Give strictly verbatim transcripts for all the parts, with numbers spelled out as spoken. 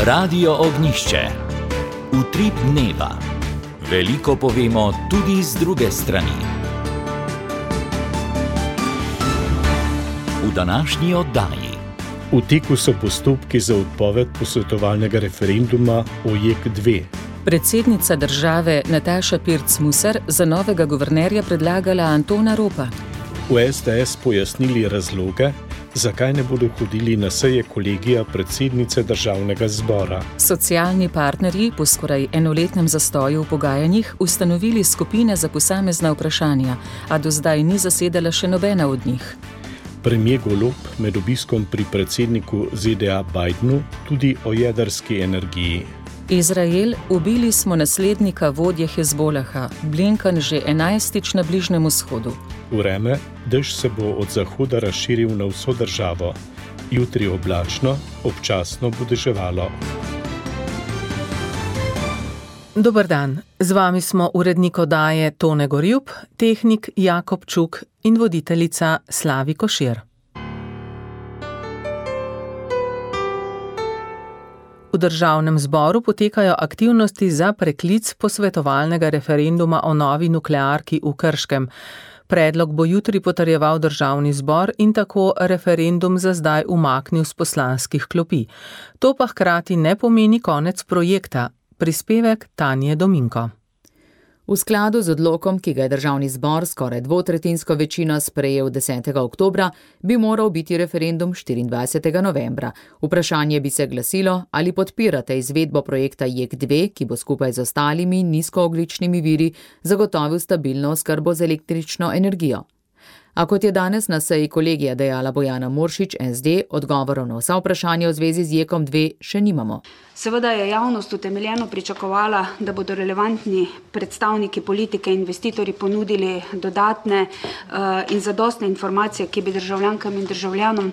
Radio Ognjišče. Utrip dneva. Veliko povemo tudi z druge strani. V današnji oddaji. V teku so postopki za odpoved posvetovalnega referenduma o J E K dve. Predsednica države Nataša Pirc Musar za novega guvernerja predlagala Antona Ropa. V S D S pojasnili razloge, zakaj ne bodo hodili na seje kolegija predsednice državnega zbora. Socialni partnerji po skoraj enoletnem zastoju v pogajanjih ustanovili skupine za posamezna vprašanja, a do zdaj ni zasedala še nobena od njih. Premier Golob med obiskom pri predsedniku Z D A Bidenu tudi o jedrski energiji. Izrael, ubili smo naslednika vodje Hezbolaha, Blinken že enajstič na Bližnjem vzhodu. Vreme, dež se bo od zahoda razširil na vso državo. Jutri oblačno, občasno bo deževalo. Dober dan, z vami smo urednik oddaje Tone Gorjup, tehnik Jakob Čuk in voditeljica Slavi Košir. V državnem zboru potekajo aktivnosti za preklic posvetovalnega referenduma o novi nuklearki v Krškem. Predlog bo jutri potrjeval državni zbor in tako referendum za zdaj umaknil s poslanskih klopi. To pa hkrati ne pomeni konec projekta. Prispevek Tanje Dominko. V skladu z odlokom, ki ga je državni zbor skoraj dvotretjinsko večino sprejel desetega oktobra, bi moral biti referendum štiriindvajsetega novembra. Vprašanje bi se glasilo, ali podpirate izvedbo projekta J E K dve, ki bo skupaj z ostalimi nizkoogljičnimi viri zagotovil stabilno oskrbo z električno energijo. A kot je danes na seji kolegija dejala Bojana Muršič, S D, odgovorov na vsa vprašanja v zvezi z J E K dve še nimamo. Seveda je javnost utemeljeno pričakovala, da bodo relevantni predstavniki politike in investitorji ponudili dodatne uh, in zadostne informacije, ki bi državljankam in državljanom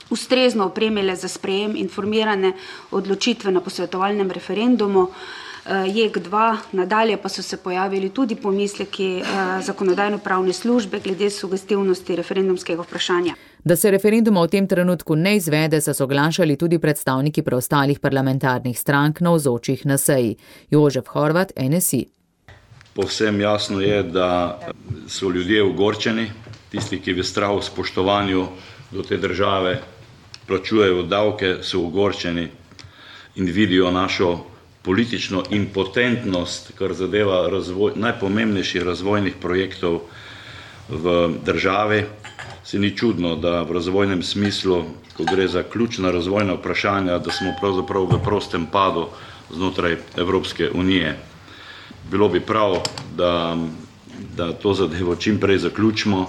ustrezno opremile za sprejem informirane odločitve na posvetovalnem referendumu. J E K dva, nadalje pa so se pojavili tudi pomisleki zakonodajno-pravne službe glede sugestivnosti referendumskega vprašanja. Da se referenduma v tem trenutku ne izvede, so soglašali tudi predstavniki preostalih parlamentarnih strank navzočih na seji. Jožef Horvat, N S I. Povsem jasno je, da so ljudje ogorčeni, tisti, ki v strahu spoštovanju do te države plačujejo davke, so ogorčeni in vidijo našo politično impotentnost, kar zadeva razvoj, najpomembnejših razvojnih projektov v državi. Se ni čudno, da v razvojnem smislu, ko gre za ključna razvojna vprašanja, da smo pravzaprav v prostem padu znotraj Evropske unije. Bilo bi prav, da, da to zadevo čim prej zaključimo.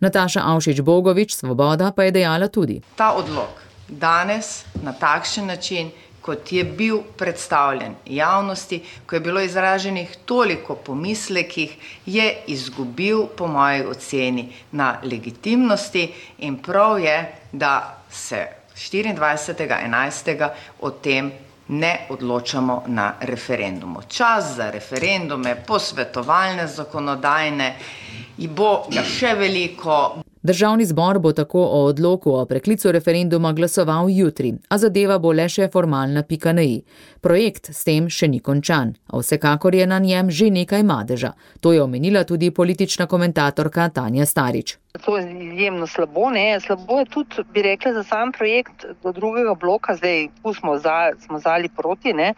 Nataša Avšič-Bogovič, Svoboda, pa je dejala tudi. Ta odlok danes na takšen način, kot je bil predstavljen javnosti, ko je bilo izraženih toliko pomislekih, je izgubil po moji oceni na legitimnosti in prav je, da se štiriindvajsetega enajstega o tem ne odločamo na referendumu. Čas za referendume, posvetovalne, zakonodajne, in bo ga še veliko. Državni zbor bo tako o odloku o preklicu referenduma glasoval jutri, a zadeva bo le še formalna pika na i. Projekt s tem še ni končan, a vsekakor je na njem že nekaj madeža. To je omenila tudi politična komentatorka Tanja Starič. To je izjemno slabo, ne? Slabo je tudi, bi rekla, za sam projekt do drugega bloka, zdaj smo, za, smo zali proti, ne?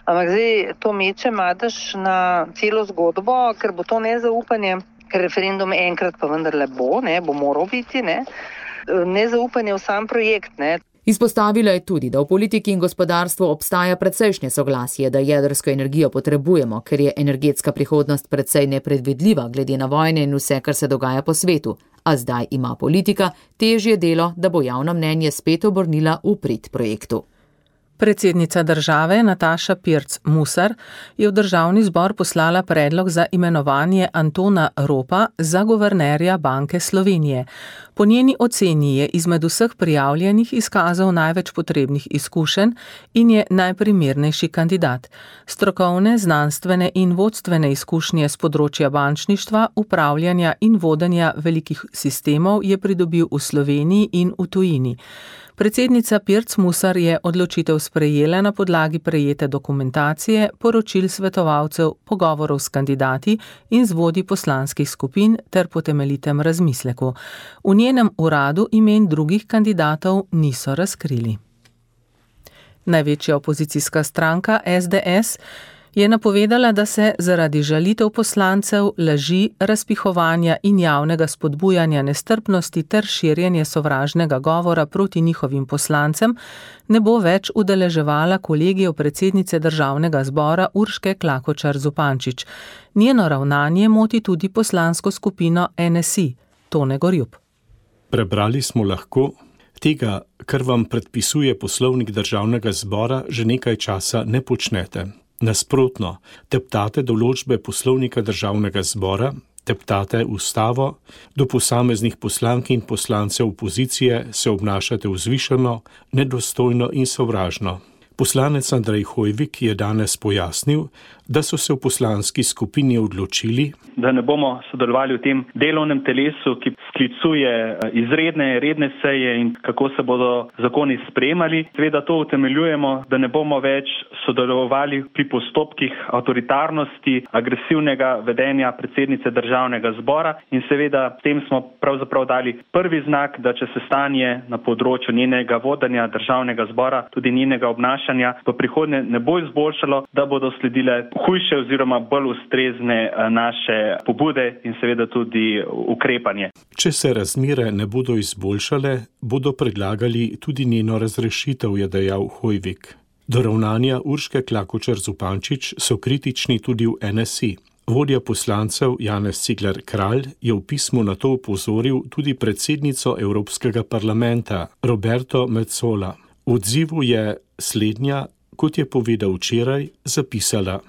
Ampak zdaj to meče madež na celo zgodbo, ker bo to nezaupanje, ker referendum enkrat pa vendarle bo, ne, bo moral biti, ne, nezaupanje v sam projekt, ne. Izpostavila je tudi, da v politiki in gospodarstvu obstaja precejšnje soglasje, da jedrsko energijo potrebujemo, ker je energetska prihodnost precej nepredvidljiva glede na vojne in vse, kar se dogaja po svetu. A zdaj ima politika težje delo, da bo javno mnenje spet obrnila v prid projektu. Predsednica države Nataša Pirc Musar je v državni zbor poslala predlog za imenovanje Antona Ropa za guvernerja Banke Slovenije. Po njeni oceni je izmed vseh prijavljenih izkazal največ potrebnih izkušenj in je najprimernejši kandidat. Strokovne, znanstvene in vodstvene izkušnje z področja bančništva, upravljanja in vodenja velikih sistemov je pridobil v Sloveniji in v tujini. Predsednica Pirc Musar je odločitev sprejela na podlagi prejete dokumentacije, poročil svetovalcev, pogovorov s kandidati in z vodji poslanskih skupin ter po temeljitem razmisleku. V njenem uradu imen drugih kandidatov niso razkrili. Največja opozicijska stranka S D S je napovedala, da se zaradi žalitev poslancev, laži, razpihovanja in javnega spodbujanja nestrpnosti ter širjenja sovražnega govora proti njihovim poslancem ne bo več udeleževala kolegijev predsednice državnega zbora Urške Klakočar Zupančič. Njeno ravnanje moti tudi poslansko skupino N S I, Tone Gorjup. Prebrali smo lahko, tega, kar vam predpisuje poslovnik državnega zbora, že nekaj časa ne počnete. Nasprotno, teptate določbe poslovnika državnega zbora, teptate ustavo, do posameznih poslank in poslancev opozicije se obnašate vzvišeno, nedostojno in sovražno. Poslanec Andrej Hoivik je danes pojasnil, da so se v poslanski skupini odločili, da ne bomo sodelovali v tem delovnem telesu, ki sklicuje izredne, redne seje in kako se bodo zakoni sprejemali. Seveda to utemeljujemo, da ne bomo več sodelovali pri postopkih avtoritarnosti, agresivnega vedenja predsednice državnega zbora in seveda s tem smo pravzaprav dali prvi znak, da če se stanje na področju njenega vodenja državnega zbora, tudi njenega obnašanja v prihodnje ne bo izboljšalo, da bodo sledile hujše oziroma bolj ustrezne naše pobude in seveda tudi ukrepanje. Če se razmere ne bodo izboljšale, bodo predlagali tudi njeno razrešitev, je dejal Hoivik. Do ravnanja Urške Klakočar Zupančič so kritični tudi v N S I. Vodja poslancev Janez Cigler Kralj je v pismu na to opozoril tudi predsednico Evropskega parlamenta Roberto Metsola. V odzivu je slednja, kot je povedal včeraj, zapisala,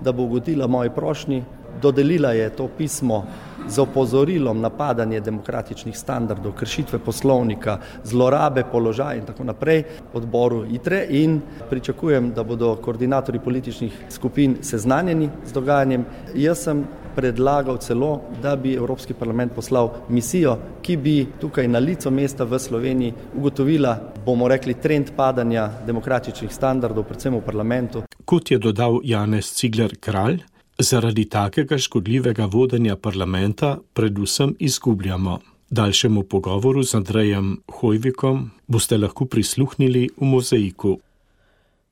da bo ugodila moji prošnji, dodelila je to pismo z opozorilom napadanje demokratičnih standardov, kršitve poslovnika, zlorabe položaja in tako naprej odboru I T R E in pričakujem, da bodo koordinatorji političnih skupin seznanjeni z dogajanjem. Jaz sem predlagal celo, da bi Evropski parlament poslal misijo, ki bi tukaj na licu mesta v Sloveniji ugotovila, bomo rekli, trend padanja demokratičnih standardov, predvsem v parlamentu. Kot je dodal Janez Cigler Kralj, zaradi takega škodljivega vodenja parlamenta predvsem izgubljamo. Daljšemu pogovoru z Andrejem Hoivikom boste lahko prisluhnili v Mozaiku.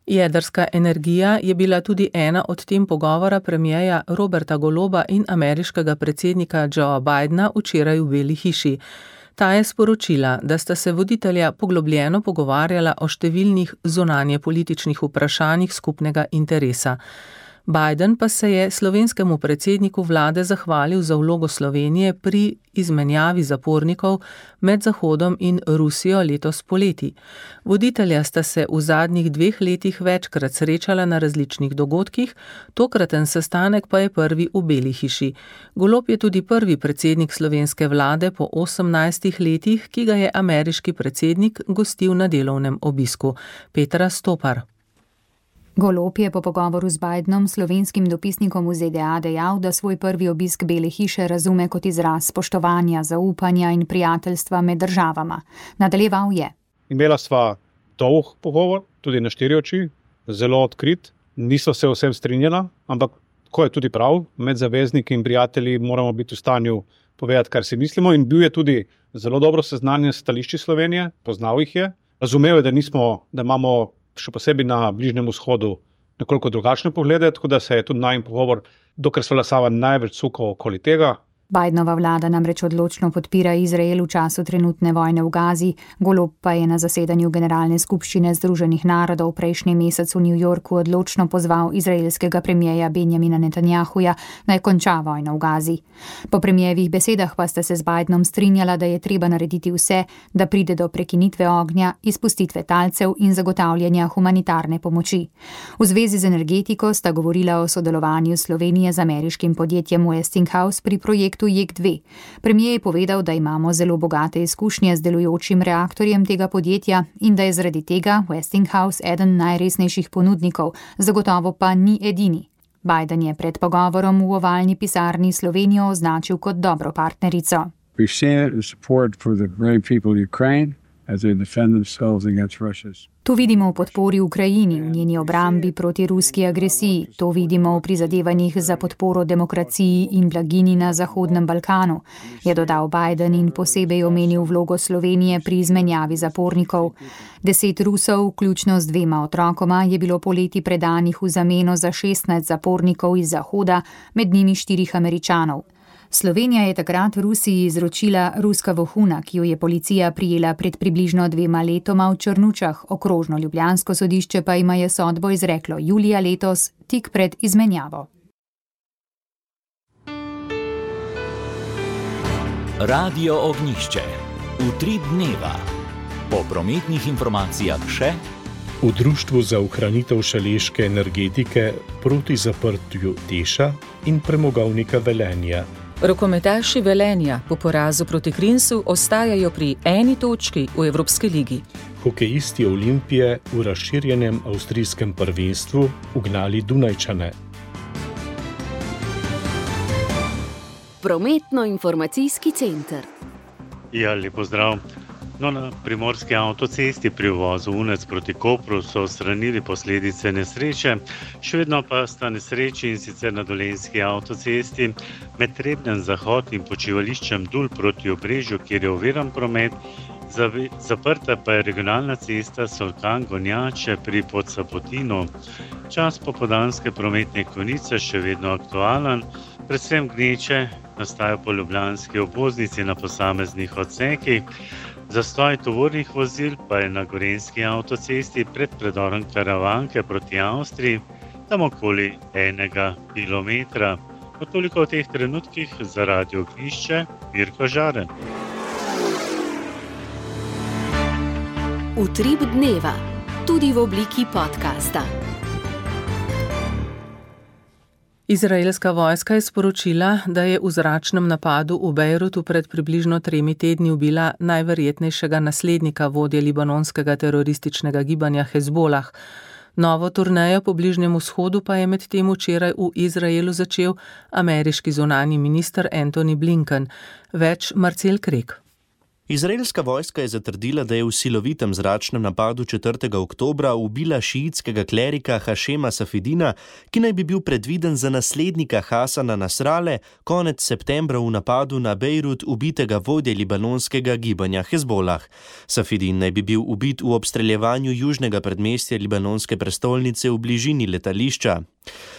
Jedrska energija je bila tudi ena od tem pogovora premierja Roberta Goloba in ameriškega predsednika Joea Bidena včeraj v Beli hiši. Ta je sporočila, da sta se voditelja poglobljeno pogovarjala o številnih zunanjepolitičnih vprašanjih skupnega interesa. Biden pa se je slovenskemu predsedniku vlade zahvalil za vlogo Slovenije pri izmenjavi zapornikov med Zahodom in Rusijo letos poleti. Voditelja sta se v zadnjih dveh letih večkrat srečala na različnih dogodkih, tokraten sestanek pa je prvi v Beli hiši. Golob je tudi prvi predsednik slovenske vlade po osemnajstih letih, ki ga je ameriški predsednik gostil na delovnem obisku. Petra Stopar. Golob je po pogovoru z Bidenom, slovenskim dopisnikom v Z D A, dejal, da svoj prvi obisk Bele hiše razume kot izraz spoštovanja, zaupanja in prijateljstva med državama. Nadaljeval je. Imela sva dolg pogovor, tudi na štiri oči, zelo odkrit. Niso se vsem strinjala, ampak ko je tudi prav, med zavezniki in prijatelji moramo biti v stanju povedati, kar si mislimo, in bil je tudi zelo dobro seznanjen s stališči Slovenije, poznal jih je. Razumel je, da nismo, da imamo še posebej na Bližnjem vzhodu nekoliko drugačne poglede, tako da se je tudi najin pogovor, dokler sva lasava največ sukal okoli tega. Bidenova vlada namreč odločno podpira Izrael v času trenutne vojne v Gazi, Golob pa je na zasedanju Generalne skupščine Združenih narodov prejšnji mesec v New Yorku odločno pozval izraelskega premierja Benjamina Netanjahuja, naj konča vojno v Gazi. Po premierjevih besedah pa sta se z Bidenom strinjala, da je treba narediti vse, da pride do prekinitve ognja, izpustitve talcev in zagotavljanja humanitarne pomoči. V zvezi z energetiko sta govorila o sodelovanju Slovenije z ameriškim podjetjem Westinghouse pri projektu J E K dve. Premier je povedal, da imamo zelo bogate izkušnje z delujočim reaktorjem tega podjetja in da je zaradi tega Westinghouse eden najresnejših ponudnikov, zagotovo pa ni edini. Biden je pred pogovorom v ovalni pisarni Slovenijo označil kot dobro partnerico. We share the support for the brave people of Ukraine To vidimo v podpori Ukrajini, v njeni obrambi proti ruski agresiji, to vidimo v prizadevanjih za podporo demokraciji in blaginji na Zahodnem Balkanu, je dodal Biden in posebej omenil vlogo Slovenije pri izmenjavi zapornikov. Deset Rusov, vključno z dvema otrokoma, je bilo poleti predanih v zameno za šestnajst zapornikov iz Zahoda, med njimi štirih Američanov. Slovenija je takrat Rusiji izročila ruska vohuna, ki jo je policija prijela pred približno dvema letoma v Črnučah, okrožno ljubljansko sodišče pa ima je sodbo izreklo julija letos, tik pred izmenjavo. Radio Ognjišče. Utrip dneva. Po prometnih informacijah še v Društvu za ohranitev šaleške energetike proti zaprtju Teša in premogovnika Velenja. Rokometaši Velenja po porazu proti Krinsu ostajajo pri eni točki v Evropski ligi. Hokejisti Olimpije v razširjenem avstrijskem prvenstvu ugnali Dunajčane. Prometno-informacijski center. Ja, lep pozdrav. No, na primorski avtocesti pri uvozu Unec proti Kopru so odstranili posledice nesreče, še vedno pa sta nesreči in sicer na Dolenjski avtocesti med Trebnjem Zahod in počivališčem Dul proti Obrežju, kjer je oviran promet, zaprta pa je regionalna cesta Solkan-Gonjače pri Podsapotinu. Čas popoldanske prometne konice še vedno aktualen, predvsem gneče nastajajo po ljubljanski obvoznici na posameznih odsekih. Zastoj tovornih vozil pa je na Gorenjski avtocesti pred predorom Karavanke proti Avstriji, tam okoli enega kilometra. No, toliko v teh trenutkih za Radio Ognjišče, Mirko Žaren. Utrip dneva, tudi v obliki podcasta. Izraelska vojska je sporočila, da je v zračnem napadu v Bejrutu pred približno tremi tedni ubila najverjetnejšega naslednika vodje libanonskega terorističnega gibanja Hezbolah. Novo turnejo po Bližnjem vzhodu pa je medtem včeraj v Izraelu začel ameriški zunanji minister Antony Blinken. Več Marcel Krek. Izraelska vojska je zatrdila, da je v silovitem zračnem napadu četrtega oktobra ubila šiitskega klerika Hašema Safedina, ki naj bi bil predviden za naslednika Hasana Nasrale, konec septembra v napadu na Bejrut ubitega vodje libanonskega gibanja Hezbolah. Safedin naj bi bil ubit v obstreljevanju južnega predmestja libanonske prestolnice v bližini letališča.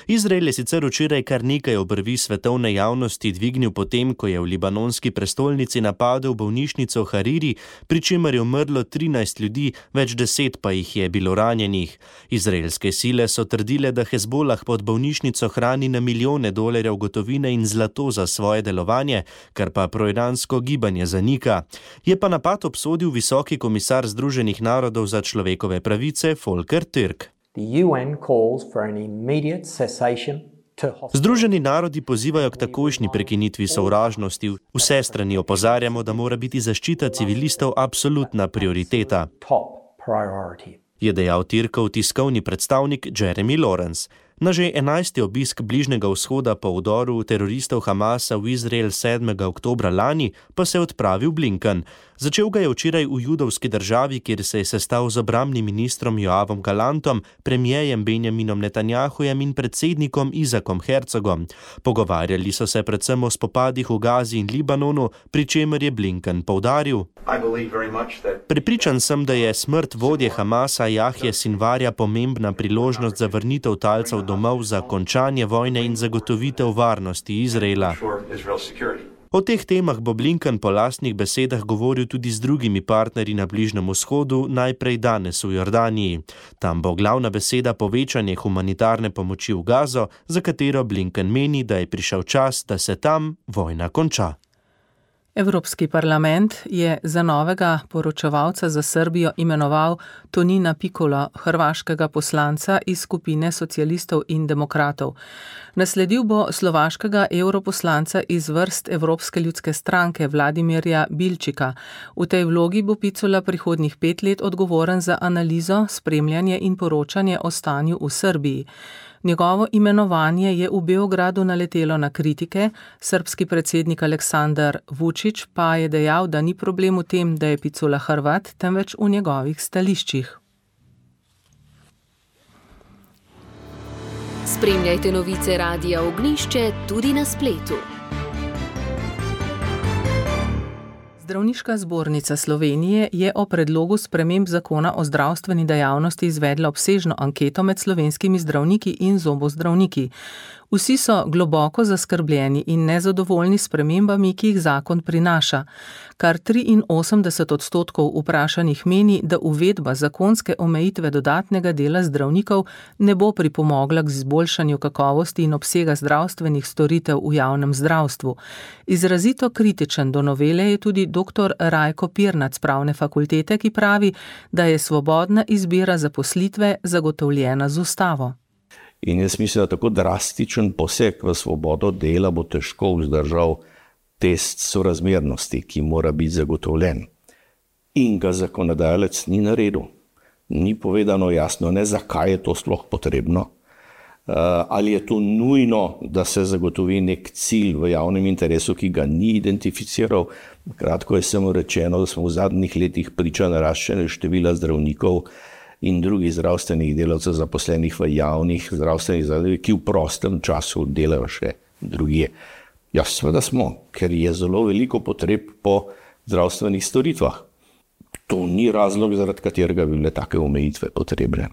Izrael je sicer včeraj kar nekaj obrvi svetovne javnosti dvignil potem, ko je v libanonski prestolnici napadel bolnišnico Hariri, pri čemer je umrlo trinajst ljudi, več deset pa jih je bilo ranjenih. Izraelske sile so trdile, da Hezbolah pod bolnišnico hrani na milijone dolarjev gotovine in zlato za svoje delovanje, kar pa proiransko gibanje zanika. Je pa napad obsodil visoki komisar Združenih narodov za človekove pravice Volker Türk. Združeni narodi pozivajo k takojšnji prekinitvi sovražnosti. Vse strani opozarjamo, da mora biti zaščita civilistov absolutna prioriteta, je dejal Türkov tiskovni predstavnik Jeremy Lawrence. Na že enajsti obisk Bližnjega vzhoda po vdoru teroristov Hamasa v Izrael sedmega oktobra lani pa se je odpravil Blinken. Začel ga je včeraj v judovski državi, kjer se je sestal z obrambnim ministrom Joavom Galantom, premijejem Benjaminom Netanjahujem in predsednikom Izakom Herzogom. Pogovarjali so se predvsem o spopadih v Gazi in Libanonu, pri čemer je Blinken poudaril: Prepričan sem, da je smrt vodje Hamasa Jahje Sinvarja pomembna priložnost za vrnitev talcev domov, za končanje vojne in zagotovitev varnosti Izraela. O teh temah bo Blinken po lastnih besedah govoril tudi z drugimi partnerji na Bližnjem vzhodu, najprej danes v Jordaniji. Tam bo glavna beseda povečanje humanitarne pomoči v Gazo, za katero Blinken meni, da je prišel čas, da se tam vojna konča. Evropski parlament je za novega poročevalca za Srbijo imenoval Tonina Pikola, hrvaškega poslanca iz skupine socialistov in demokratov. Nasledil bo slovaškega europoslanca iz vrst Evropske ljudske stranke Vladimirja Bilčika. V tej vlogi bo Picula prihodnjih pet let odgovoren za analizo, spremljanje in poročanje o stanju v Srbiji. Njegovo imenovanje je v Beogradu naletelo na kritike, srbski predsednik Aleksandar Vučić pa je dejal, da ni problem v tem, da je Picula Hrvat, temveč v njegovih stališčih. Spremljajte novice Radia Ognjišče tudi na spletu. Zdravniška zbornica Slovenije je o predlogu sprememb zakona o zdravstveni dejavnosti izvedla obsežno anketo med slovenskimi zdravniki in zobozdravniki. Vsi so globoko zaskrbljeni in nezadovoljni s spremembami, ki jih zakon prinaša. Kar triinosemdeset odstotkov vprašanih meni, da uvedba zakonske omejitve dodatnega dela zdravnikov ne bo pripomogla k izboljšanju kakovosti in obsega zdravstvenih storitev v javnem zdravstvu. Izrazito kritičen do novele je tudi doktor Rajko Pirnat z Pravne fakultete, ki pravi, da je svobodna izbira zaposlitve zagotovljena z ustavo. In jaz mislim, da tako drastičen poseg v svobodo dela bo težko vzdržal test sorazmernosti, ki mora biti zagotovljen. In ga zakonodajalec ni naredil. Ni povedano jasno, ne zakaj je to sploh potrebno. Ali je to nujno, da se zagotovi nek cilj v javnem interesu, ki ga ni identificiral. Kratko je samo rečeno, da smo v zadnjih letih priča naraščanja števila zdravnikov in drugih zdravstvenih delavcev zaposlenih v javnih zdravstvenih zavodih, ki v prostem času delajo še drugje. Ja, seveda smo, ker je zelo veliko potreb po zdravstvenih storitvah. To ni razlog, zaradi katerega bi bile take omejitve potrebne.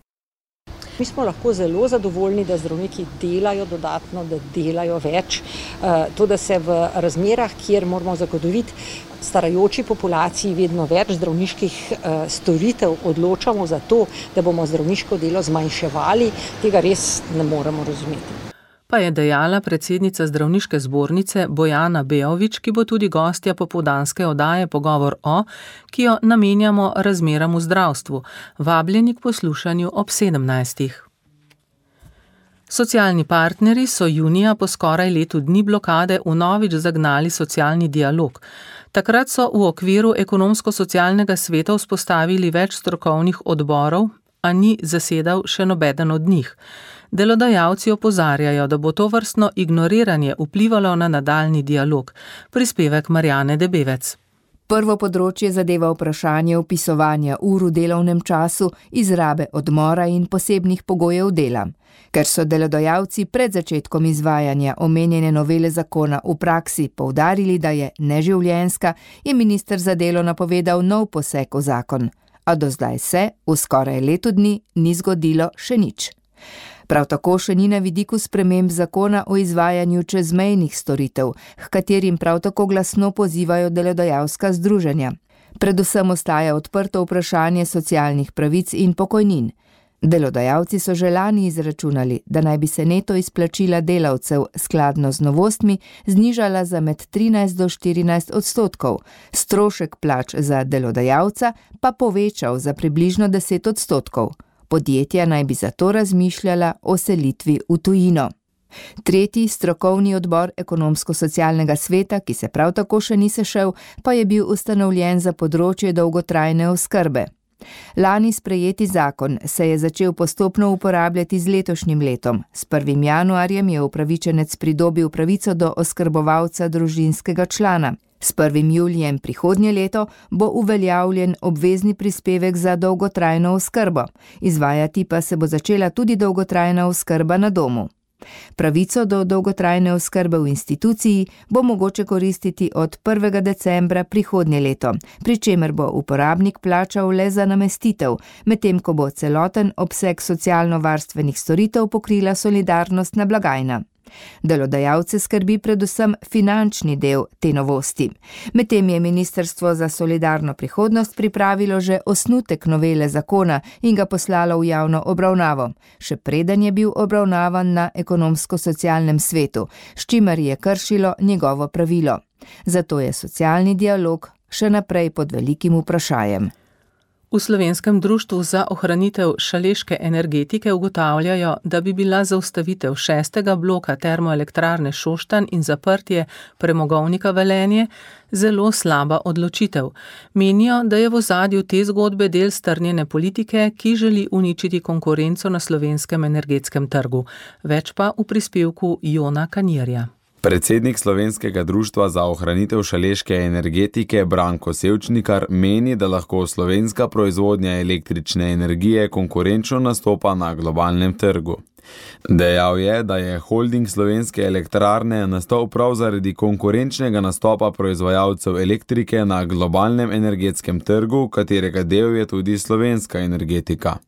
Mi smo lahko zelo zadovoljni, da zdravniki delajo dodatno, da delajo več. To, da se v razmerah, kjer moramo zagotoviti starajoči populaciji vedno več zdravniških storitev, odločamo za to, da bomo zdravniško delo zmanjševali, tega res ne moremo razumeti. Pa je dejala predsednica zdravniške zbornice Bojana Beović, ki bo tudi gostja popoldanske oddaje Pogovor o, ki jo namenjamo razmeram v zdravstvu. Vabljeni k poslušanju ob sedemnajstih. Socialni partnerji so junija po skoraj letu dni blokade vnovič zagnali socialni dialog. Takrat so v okviru ekonomsko-socialnega sveta vzpostavili več strokovnih odborov, a ni zasedal še nobeden od njih. Delodajalci opozarjajo, da bo to vrstno ignoriranje vplivalo na nadaljni dialog. Prispevek Marjane Debevec. Prvo področje zadeva vprašanje vpisovanja ur v delovnem času, izrabe odmora in posebnih pogojev dela. Ker so delodajalci pred začetkom izvajanja omenjene novele zakona v praksi poudarili, da je neživljenjska, je minister za delo napovedal nov poseg v zakon. A do zdaj se v skoraj letu dni ni zgodilo še nič. Prav tako še ni na vidiku sprememb zakona o izvajanju čezmejnih storitev, h katerim prav tako glasno pozivajo delodajalska združenja. Predvsem ostaja odprto vprašanje socialnih pravic in pokojnin. Delodajalci so že lani izračunali, da naj bi se neto izplačila delavcev skladno z novostmi znižala za med trinajst do štirinajst odstotkov, strošek plač za delodajalca pa povečal za približno deset odstotkov. Podjetja naj bi zato razmišljala o selitvi v tujino. Tretji strokovni odbor ekonomsko-socialnega sveta, ki se prav tako še ni sešel, pa je bil ustanovljen za področje dolgotrajne oskrbe. Lani sprejeti zakon se je začel postopno uporabljati z letošnjim letom. S prvim januarjem je upravičenec pridobil pravico do oskrbovalca družinskega člana. S prvim julijem prihodnje leto bo uveljavljen obvezni prispevek za dolgotrajno oskrbo. Izvajati pa se bo začela tudi dolgotrajna oskrba na domu. Pravico do dolgotrajne oskrbe v instituciji bo mogoče koristiti od prvega decembra prihodnje leto, pri čemer bo uporabnik plačal le za namestitev, medtem ko bo celoten obseg socialno-varstvenih storitev pokrila solidarnostna blagajna. Delodajalce skrbi predvsem finančni del te novosti. Medtem je Ministrstvo za solidarno prihodnost pripravilo že osnutek novele zakona in ga poslalo v javno obravnavo, še preden je bil obravnavan na ekonomsko-socialnem svetu, s čimer je kršilo njegovo pravilo. Zato je socialni dialog še naprej pod velikim vprašajem. V Slovenskem društvu za ohranitev šaleške energetike ugotavljajo, da bi bila zaustavitev šestega bloka termoelektrarne Šoštanj in zaprtje premogovnika Velenje zelo slaba odločitev. Menijo, da je v ozadju te zgodbe del strnjene politike, ki želi uničiti konkurenco na slovenskem energetskem trgu. Več pa v prispevku Jona Kanirja. Predsednik Slovenskega društva za ohranitev šaleške energetike Branko Sevčnikar meni, da lahko slovenska proizvodnja električne energije konkurenčno nastopa na globalnem trgu. Dejal je, da je holding Slovenske elektrarne nastal prav zaradi konkurenčnega nastopa proizvajalcev elektrike na globalnem energetskem trgu, katerega del je tudi slovenska energetika.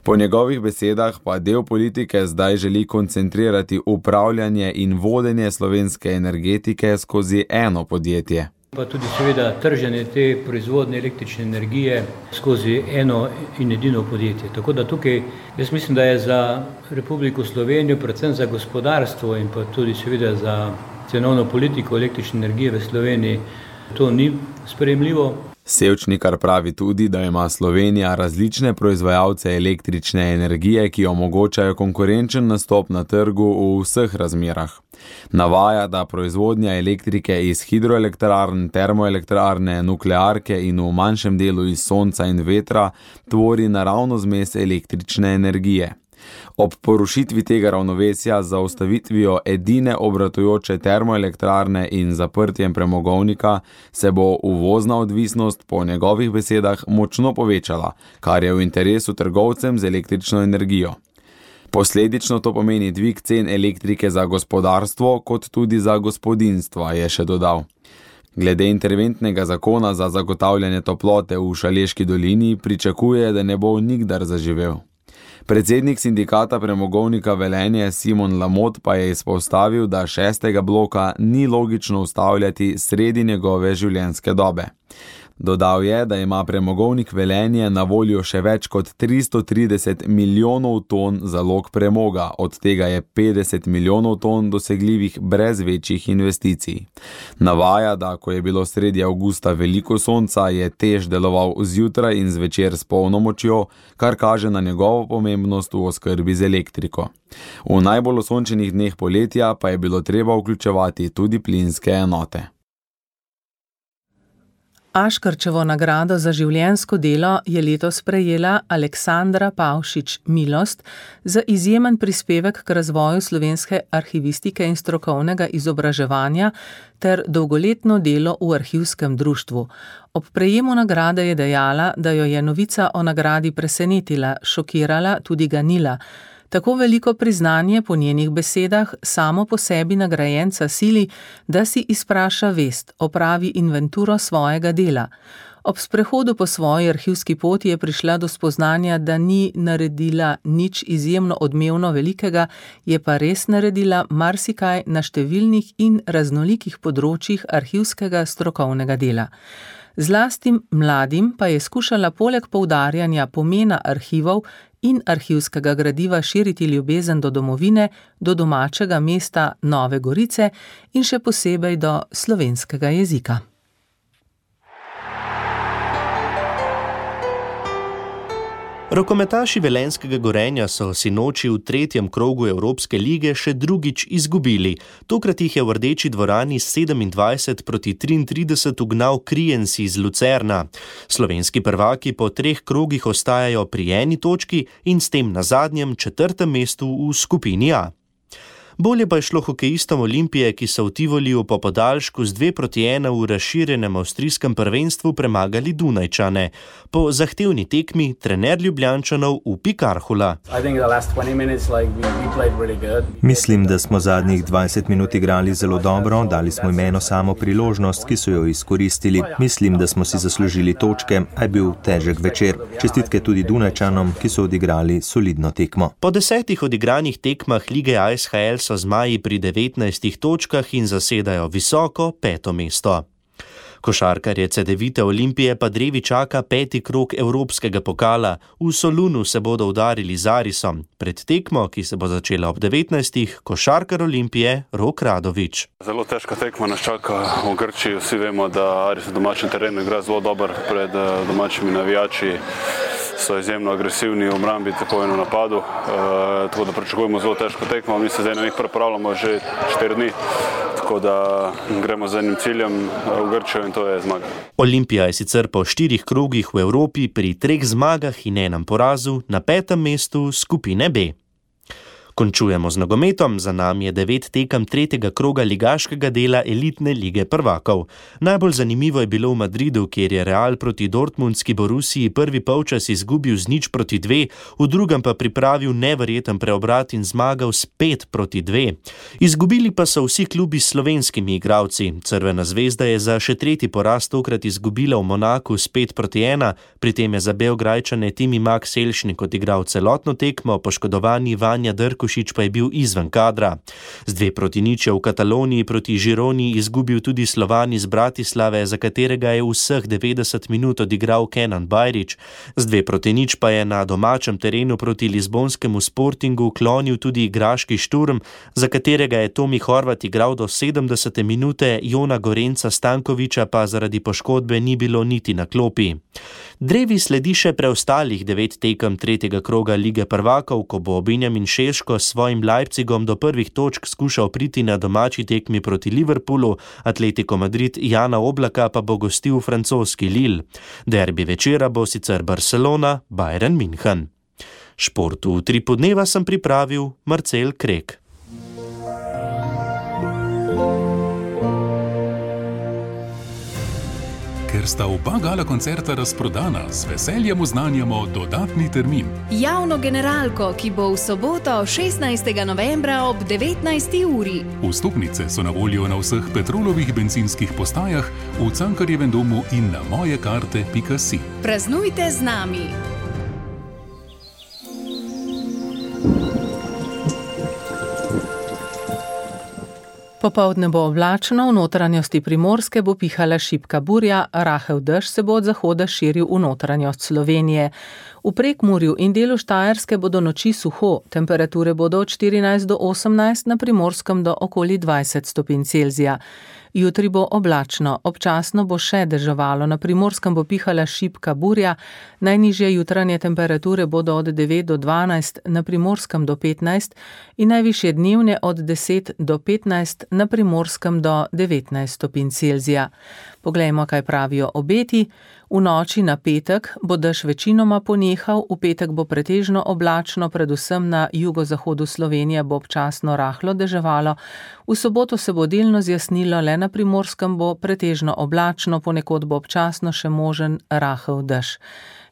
Po njegovih besedah pa del politike zdaj želi koncentrirati upravljanje in vodenje slovenske energetike skozi eno podjetje. Pa tudi seveda trženje te proizvodne električne energije skozi eno in edino podjetje. Tako da tukaj jaz mislim, da je za Republiko Slovenijo, predvsem za gospodarstvo in pa tudi seveda za cenovno politiko električne energije v Sloveniji, to ni sprejemljivo. Sevčnikar pravi tudi, da ima Slovenija različne proizvajalce električne energije, ki omogočajo konkurenčen nastop na trgu v vseh razmerah. Navaja, da proizvodnja elektrike iz hidroelektrarn, termoelektrarne, nuklearke in v manjšem delu iz sonca in vetra tvori naravno zmes električne energije. Ob porušitvi tega ravnovesja z zaustavitvijo edine obratujoče termoelektrarne in zaprtjem premogovnika se bo uvozna odvisnost po njegovih besedah močno povečala, kar je v interesu trgovcem z električno energijo. Posledično to pomeni dvig cen elektrike za gospodarstvo kot tudi za gospodinstva, je še dodal. Glede interventnega zakona za zagotavljanje toplote v Šaleški dolini pričakuje, da ne bo nikdar zaživel. Predsednik sindikata premogovnika Velenje Simon Lamot pa je izpostavil, da šestega bloka ni logično ustavljati sredi njegove življenjske dobe. Dodal je, da ima premogovnik Velenje na voljo še več kot tristo trideset milijonov ton zalog premoga, od tega je petdeset milijonov ton dosegljivih brez večjih investicij. Navaja, da ko je bilo sredi avgusta veliko sonca, je TEŠ deloval zjutraj in zvečer s polno močjo, kar kaže na njegovo pomembnost v oskrbi z elektriko. V najbolj osončenih dneh poletja pa je bilo treba vključevati tudi plinske enote. Aškerčevo nagrado za življenjsko delo je letos prejela Aleksandra Pavšič Milost za izjemen prispevek k razvoju slovenske arhivistike in strokovnega izobraževanja ter dolgoletno delo v arhivskem društvu. Ob prejemu nagrade je dejala, da jo je novica o nagradi presenetila, šokirala, tudi ganila. Tako veliko priznanje po njenih besedah samo po sebi nagrajenca sili, da si izpraša vest, opravi inventuro svojega dela. Ob sprehodu po svoji arhivski poti je prišla do spoznanja, da ni naredila nič izjemno odmevno velikega, je pa res naredila marsikaj na številnih in raznolikih področjih arhivskega strokovnega dela. Zlastim mladim pa je skušala poleg poudarjanja pomena arhivov in arhivskega gradiva širiti ljubezen do domovine, do domačega mesta Nove Gorice in še posebej do slovenskega jezika. Rokometaši Velenjskega Gorenja so sinoči v tretjem krogu Evropske lige še drugič izgubili. Tokrat jih je v Rdeči dvorani sedemindvajset proti triintrideset ugnal Kriens iz Lucerna. Slovenski prvaki po treh krogih ostajajo pri eni točki in s tem na zadnjem četrtem mestu v skupini A. Bolje pa je šlo hokejistom Olimpije, ki so v Tivoliju po podaljšku z dve proti ena v razširjenem avstrijskem prvenstvu premagali Dunajčane. Po zahtevni tekmi trener Ljubljančanov Upi Karhula. Mislim, da smo zadnjih dvajset minut igrali zelo dobro, dali smo jim eno samo priložnost, ki so jo izkoristili. Mislim, da smo si zaslužili točke, a je bil težek večer. Čestitke tudi Dunajčanom, ki so odigrali solidno tekmo. Po desetih odigranih tekmah lige A S H L so zmaji pri devetnajstih točkah in zasedajo visoko peto mesto. Košarkarje Cedevite Olimpije pa drevi čaka peti krog Evropskega pokala. V Solunu se bodo udarili z Arisom. Pred tekmo, ki se bo začela ob devetnajstih, košarkar Olimpije Rok Radović. Zelo težka tekma nas čaka v Grčiji. Vsi vemo, da Aris na domačem terenu igra zelo dober pred domačimi navijači. So izjemno agresivni v obrambi, tako in v napadu. E, tako da pričakujemo zelo težko tekmo. Mi se zdaj na njih pripravljamo že štiri dni, tako da gremo z enim ciljem v Grčijo in to je zmaga. Olimpija je sicer po štirih krogih v Evropi pri treh zmagah in enem porazu na petem mestu skupine B. Končujemo z nogometom, za nami je devet tekem tretjega kroga ligaškega dela elitne lige prvakov. Najbolj zanimivo je bilo v Madridu, kjer je Real proti dortmundski Borussiji prvi polčas izgubil z nič proti dve, v drugem pa pripravil neverjeten preobrat in zmagal s pet proti dve. Izgubili pa so vsi klubi s slovenskimi igralci. Crvena zvezda je za še tretji poraz tokrat izgubila v Monaku s pet proti ena, pri tem je za Beograjčane Timi Max Selšnik odigral celotno tekmo, poškodovani Vanja Drko pa je bil izven kadra. Z dve proti nič je v Kataloniji proti Žironi izgubil tudi Slovan iz Bratislave, za katerega je vseh devetdeset minut odigral Kenan Bajrić. Z dve proti nič pa je na domačem terenu proti Lizbonskemu Sportingu klonil tudi igraški Šturm, za katerega je Tomi Horvat igral do sedemdesete minute, Jona Gorenca Stankoviča pa zaradi poškodbe ni bilo niti na klopi. Drevi sledi še preostalih devet tekem tretjega kroga lige prvakov, ko bo Benjamin Šeško s svojim Leipzigom do prvih točk skušal priti na domači tekmi proti Liverpoolu, Atletico Madrid Jana Oblaka pa bo gostil francoski Lille. Derbi večera bo sicer Barcelona Bayern München. Športu v Utripu dneva sem pripravil Marcel Krek. Ker sta oba gala koncerta razprodana, z veseljem oznanjamo dodatni termin. Javno generalko, ki bo v soboto šestnajstega novembra ob devetnajsti uri. Vstopnice so na voljo na vseh Petrolovih bencinskih postajah, v Cankarjevem domu in na mojekarte pika si. Praznujte z nami! Popoldne bo oblačno, v notranjosti Primorske bo pihala šibka burja, rahel dež se bo od zahoda širil v notranjost Slovenije. V Prekmurju in delu Štajerske bodo noči suho, temperature bodo od štirinajst do osemnajst, na Primorskem do okoli dvajset stopinj Celzija. Jutri bo oblačno, občasno bo še deževalo, na Primorskem bo pihala šibka burja, najnižje jutranje temperature bodo od devet do dvanajst, na Primorskem do petnajst in najvišje dnevne od deset do petnajst, na Primorskem do devetnajst stopinj Celzija. Poglejmo, kaj pravijo obeti. V noči na petek bo dež večinoma ponehal, v petek bo pretežno oblačno, predvsem na jugozahodu Slovenije bo občasno rahlo deževalo, v soboto se bo delno zjasnilo, le na Primorskem bo pretežno oblačno, ponekod bo občasno še možen rahel dež.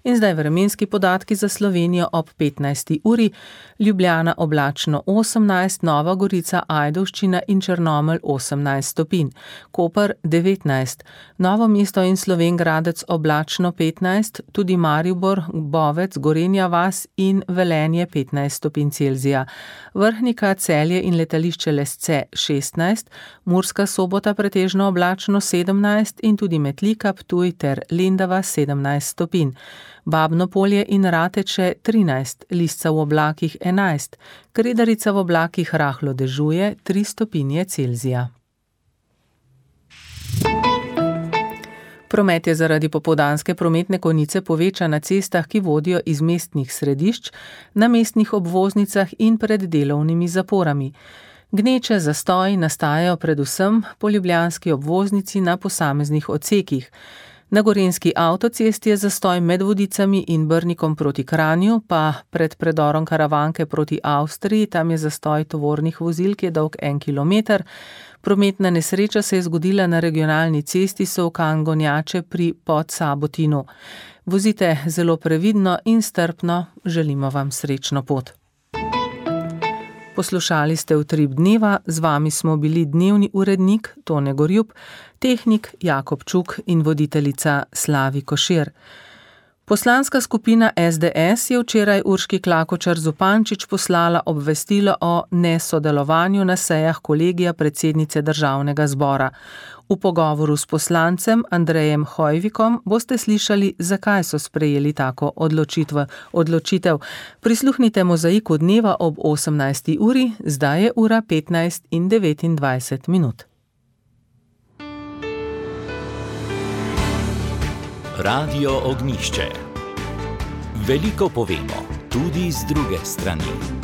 In zdaj vremenski podatki za Slovenijo ob petnajsti uri. Ljubljana oblačno osemnajst, Nova Gorica, Ajdovščina in Črnomelj osemnajst stopinj, Koper devetnajst, Novo mesto in Slovenj Gradec oblačno petnajst, tudi Maribor, Bovec, Gorenja vas in Velenje petnajst stopinj Celzija, Vrhnika, Celje in letališče Lesce šestnajst, Murska Sobota pretežno oblačno sedemnajst in tudi Metlika, Ptuj ter Lendava sedemnajst stopinj. Babno Polje in Rateče trinajst, Lisca v oblakih enajst, Kredarica v oblakih rahlo dežuje tri stopinje Celzija. Promet je zaradi popoldanske prometne konice povečan na cestah, ki vodijo iz mestnih središč, na mestnih obvoznicah in pred delovnimi zaporami. Gneče zastoji nastajajo predvsem po ljubljanski obvoznici na posameznih odsekih. Na gorenjski avtocesti je zastoj med Vodicami in Brnikom proti Kranju, pa pred predorom Karavanke proti Avstriji, tam je zastoj tovornih vozil, ki je dolg en kilometer. Prometna nesreča se je zgodila na regionalni cesti Solkan-Gonjače pri Podsabotinu. Vozite zelo previdno in strpno, želimo vam srečno pot. Poslušali ste Utrip dneva, z vami smo bili dnevni urednik Tone Gorjup, tehnik Jakob Čuk in voditeljica Slavi Košir. Poslanska skupina S D S je včeraj Urški Klakočar Zupančič poslala obvestilo o nesodelovanju na sejah kolegija predsednice Državnega zbora. V pogovoru s poslancem Andrejem Hojvikom boste slišali, zakaj so sprejeli tako odločitev. Prisluhnite Mozaiku dneva ob osemnajsti uri, zdaj je ura petnajst in devetindvajset minut. Radio Ognjišče. Veliko povemo, tudi z druge strani.